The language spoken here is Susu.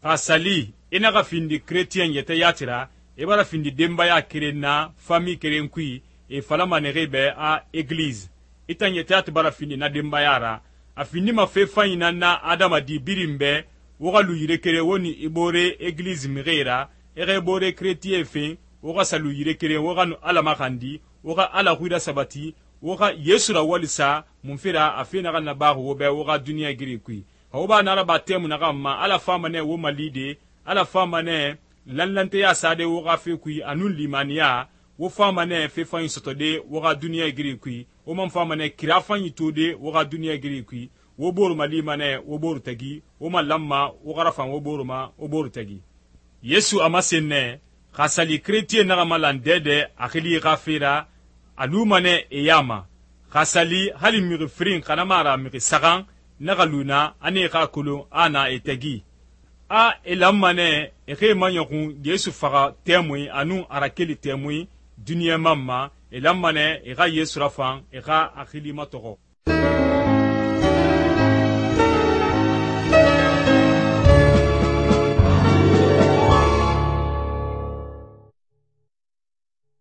xa sali i naxa findi chrétien yɛtɛ yati ra, i bara findi denbaya keren na fami keren kui e falama nexi bɛ a église. I tan yɛtɛ yati bara findi na denbaya ra. A findima fe fanyi nan na adamadi birin bɛ, wo xa lu yire keren wo ni i bore église mixi ra, i xa i bore chrétien fen, wo xa sa lu yire keren wo xa nu Ala maxandi, wo xa Ala xui rasabati, wo xa Yesu rawalisa munfe ra a fe naxan nabaxi wo bɛ wo xa duniɲa giri kui. Xa wo ba naraba tɛmu naxan ma Ala fama nɛ wo malide, Ala fama nɛ lanlanteya sade wo xa fe kui anun limaniya, wo fama nɛ fe fanyi sɔtɔde wo xa duniɲa giri kui, wo man fama nɛ kira fanyi tode wo xa duniɲa giri kui, wo boru malima nɛ wo boru tagi, wo man lanma wo xa rafan wo boru ma wo boru tagi. Yesu a masen nɛ, xa sali chrétien naxa malan dɛdɛ a xili xa fe ra, a luma nɛ e ya ma. Xa sali hali mixi firin xana ma ra mixi saxan naxa lu na a ne xa kolon a na e tagi. A e lanma nɛ e xe maɲɔxun Yesu faxa tɛmui anun a rakeli tɛmui duniɲa man ma, e lanma nɛ e xa Yesu rafan e xa a xili matɔxɔ.